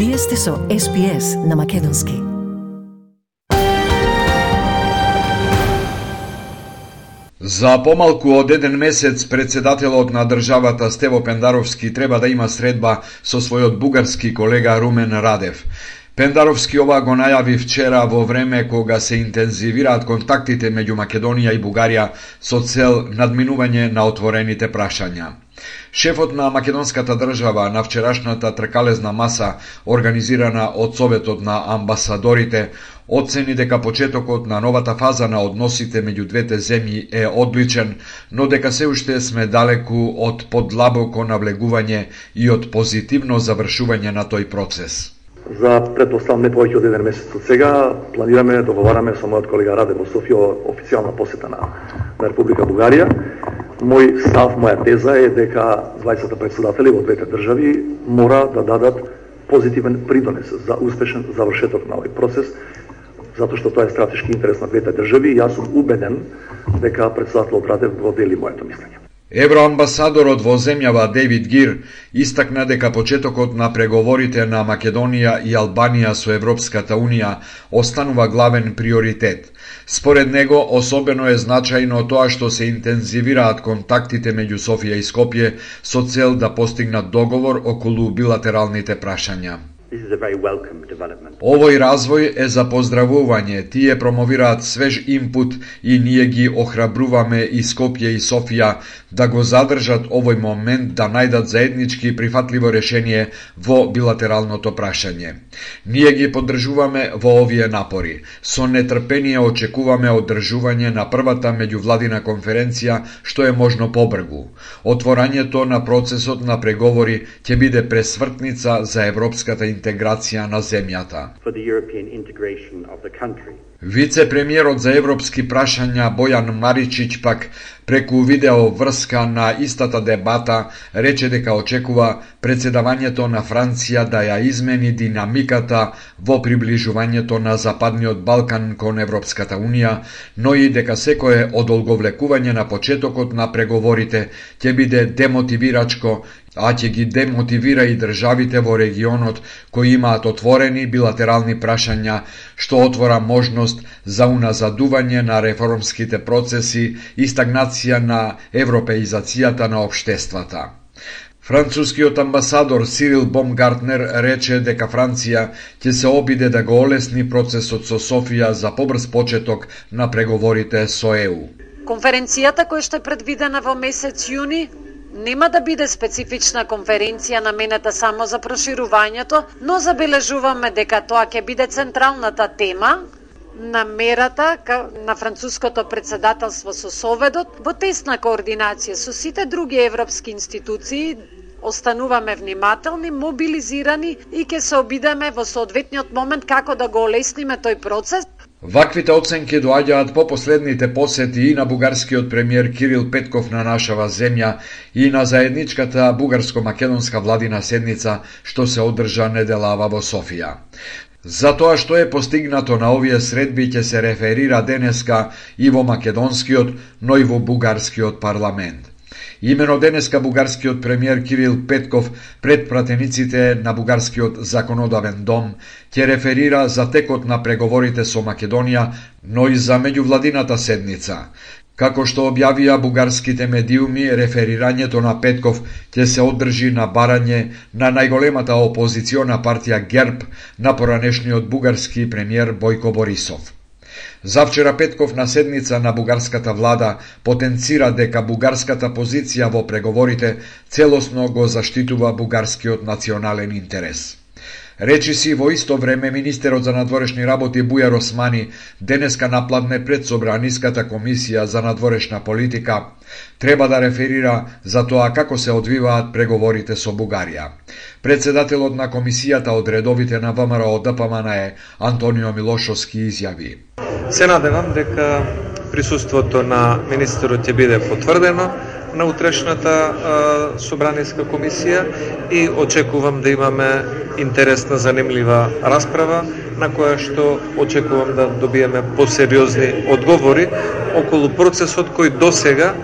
Вие сте со SPS на Македонски. За помалку од еден месец председателот на државата Стево Пендаровски треба да има средба со својот бугарски колега Румен Радев. Пендаровски ова го најави вчера во време кога се интензивираат контактите меѓу Македонија и Бугарија со цел надминување на отворените прашања. Шефот на македонската држава на вчерашната тркалезна маса, организирана од Советот на амбасадорите, оцени дека почетокот на новата фаза на односите меѓу двете земји е одличен, но дека се уште сме далеку од подлабоко навлегување и од позитивно завршување на тој процес. За претпоставам не повеќе од еден месец од сега планираме, договараме со мојот колега Раде во Софија официјална посета на Република Бугарија. Мој став, моја теза е дека двајцата председатели во двете држави мора да дадат позитивен придонес за успешен завршеток на овој процес, затоа што тоа е стратешки интерес на двете држави и јас сум убеден дека председателот Радев го дели моето мислење. Евроамбасадорот во земјава Дейвид Гир истакна дека почетокот на преговорите на Македонија и Албанија со Европската Унија останува главен приоритет. Според него, особено е значајно тоа што се интензивираат контактите меѓу Софија и Скопје со цел да постигнат договор околу билатералните прашања. Овој развој е за поздравување, тие промовираат свеж импут и ние ги охрабруваме и Скопје и Софија да го задржат овој момент да најдат заеднички прифатливо решение во билатералното прашање. Ние ги поддржуваме во овие напори. Со нетрпение очекуваме одржување на првата меѓувладина конференција што е можно побрзо. Отворањето на процесот на преговори ќе биде пресвртница за европската интеграција на земјата. Вице-премиерот за европски прашања Бојан Маричич пак преку видео врска на истата дебата рече дека очекува председавањето на Франција да ја измени динамиката во приближувањето на Западниот Балкан кон Европската Унија, но и дека секое одолговлекување на почетокот на преговорите ќе биде демотивирачко, а ќе ги демотивира и државите во регионот кои имаат отворени билатерални прашања, што отвора можност за уназадување на реформските процеси и стагнација на европеизацијата на општествата. Францускиот амбасадор Сирил Бомгартнер рече дека Франција ќе се обиде да го олесни процесот со Софија за побрз почеток на преговорите со ЕУ. Конференцијата која што е предвидена во месец јуни нема да биде специфична конференција наменета само за проширувањето, но забележуваме дека тоа ќе биде централната тема на мерата на француското председателство со Советот во тесна координација со сите други европски институции. Остануваме внимателни, мобилизирани и ќе се обидеме во соодветниот момент како да го олесниме тој процес. Ваквите оценки доаѓаат по последните посети и на бугарскиот премиер Кирил Петков на нашава земја и на заедничката бугарско-македонска владина седница што се одржа неделава во Софија. За тоа што е постигнато на овие средби ќе се реферира денеска и во македонскиот, но и во бугарскиот парламент. Имено денеска бугарскиот премиер Кирил Петков пред пратениците на бугарскиот законодавен дом ќе реферира за текот на преговорите со Македонија, но и за меѓувладината седница. Како што објавија бугарските медиуми, реферирањето на Петков ќе се одржи на барање на најголемата опозициона партија ГЕРБ на поранешниот бугарски премиер Бојко Борисов. Завчера Петков на седница на бугарската влада потенцира дека бугарската позиција во преговорите целосно го заштитува бугарскиот национален интерес. Речиси во исто време министерот за надворешни работи Бујар Османи денеска напладне пред Собраниската комисија за надворешна политика треба да реферира за тоа како се одвиваат преговорите со Бугарија. Председателот на комисијата од редовите на ВМРО ДПМН Антонио Милошовски изјави: Се надевам дека присуството на министерот ќе биде потврдено на утрешната Собраниска комисија и очекувам да имаме интересна, занимлива расправа на која што очекувам да добиеме посериозни одговори околу процесот кој досега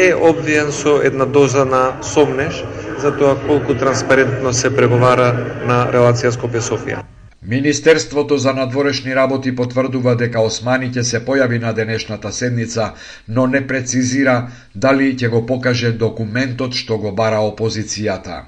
е обвиен со една доза на сомнеж за тоа колку транспарентно се преговара на релација Скопје-Софија. Министерството за надворешни работи потврдува дека Османи ќе се појави на денешната седница, но не прецизира дали ќе го покаже документот што го бара опозицијата.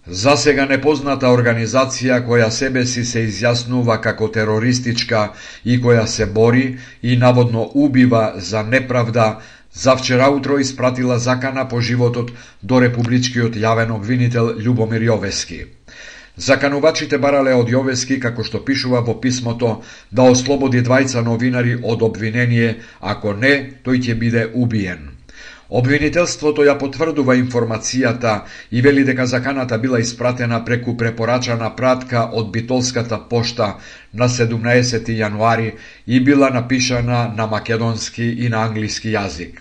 За сега непозната организација која себе си се изјаснува како терористичка и која се бори и наводно убива за неправда, за вчера утро испратила закана по животот до републичкиот јавен обвинител Љубомир Јовески. Заканувачите барале од Јовески, како што пишува во писмото, да ослободи двајца новинари од обвинение, ако не, тој ќе биде убиен. Обвинителството ја потврдува информацијата и вели дека заканата била испратена преку препорачана пратка од битолската пошта на 17 јануари и била напишана на македонски и на англиски јазик.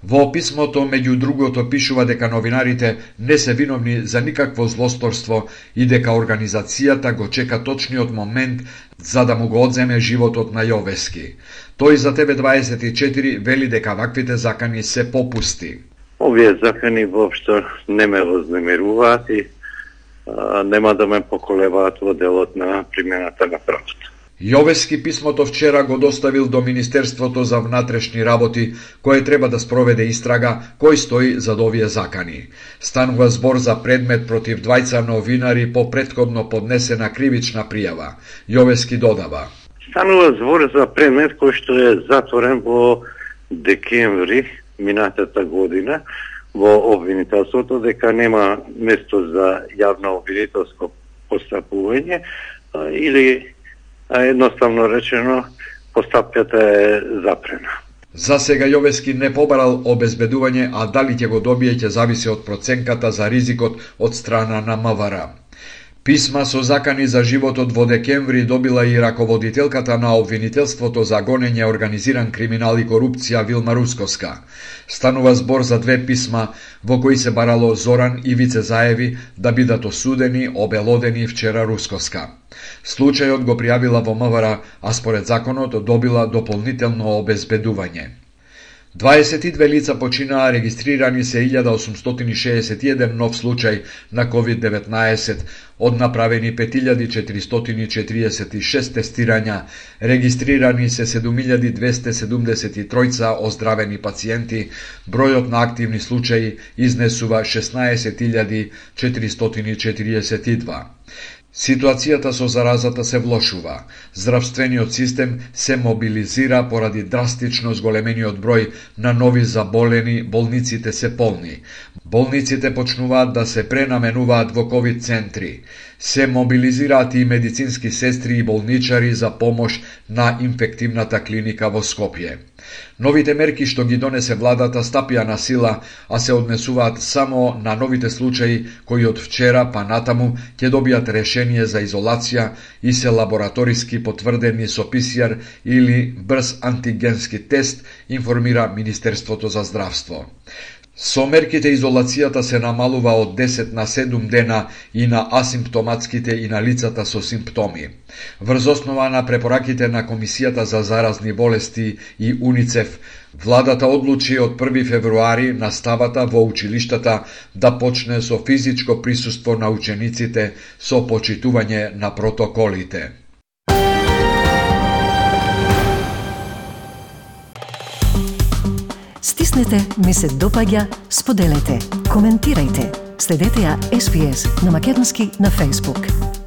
Во писмото, меѓу другото, пишува дека новинарите не се виновни за никакво злосторство и дека организацијата го чека точниот момент за да му го одземе животот на Јовески. Тој за TV24 вели дека ваквите закани се попусти. Овие закани воопшто не ме вознемируваат и нема да ме поколебаат во делот на примената на правото. Јовески писмото вчера го доставил до Министерството за внатрешни работи, кое треба да спроведе истрага кој стои зад овие закани. Станува збор за предмет против двајца новинари по претходно поднесена кривична пријава. Јовески додава: Станува збор за предмет кој што е затворен во декември минатата година во обвинителството, дека нема место за јавно обвинителско постапување или едноставно речено постапката е запрена. За сега Јовески не побарал обезбедување, а дали ќе го добие ќе зависи од проценката за ризикот од страна на МВР. Писма со закани за животот во декември добила и раководителката на обвинителството за гонење организиран криминал и корупција Вилма Рускоска. Станува збор за две писма во кои се барало Зоран и Вице Заеви да бидат осудени, обелодени вчера Рускоска. Случајот го пријавила во МВР, а според законот добила дополнително обезбедување. 22 лица починаа, регистрирани се 1861 нов случај на COVID-19, од направени 5446 тестирања, регистрирани се 7273 оздравени пациенти, бројот на активни случаи изнесува 16442. Ситуацијата со заразата се влошува. Здравствениот систем се мобилизира поради драстично зголемениот број на нови заболени, болниците се полни. Болниците почнуваат да се пренаменуваат во ковид центри. Се мобилизираат и медицински сестри и болничари за помош на инфективната клиника во Скопје. Новите мерки што ги донесе владата стапија на сила, а се однесуваат само на новите случаи кои од вчера па натаму ќе добијат решение за изолација и се лабораториски потврдени со ПСР или брз антигенски тест, информира Министерството за здравство. Со мерките изолацијата се намалува од 10 на 7 дена и на асимптоматските и на лицата со симптоми. Врз основа на препораките на Комисијата за заразни болести и УНИЦЕФ, владата одлучи од 1 февруари наставата во училиштата да почне со физичко присуство на учениците со почитување на протоколите. Стиснете, ми се допаѓа, споделете, коментирајте. Следете ја SPS на Македонски на Facebook.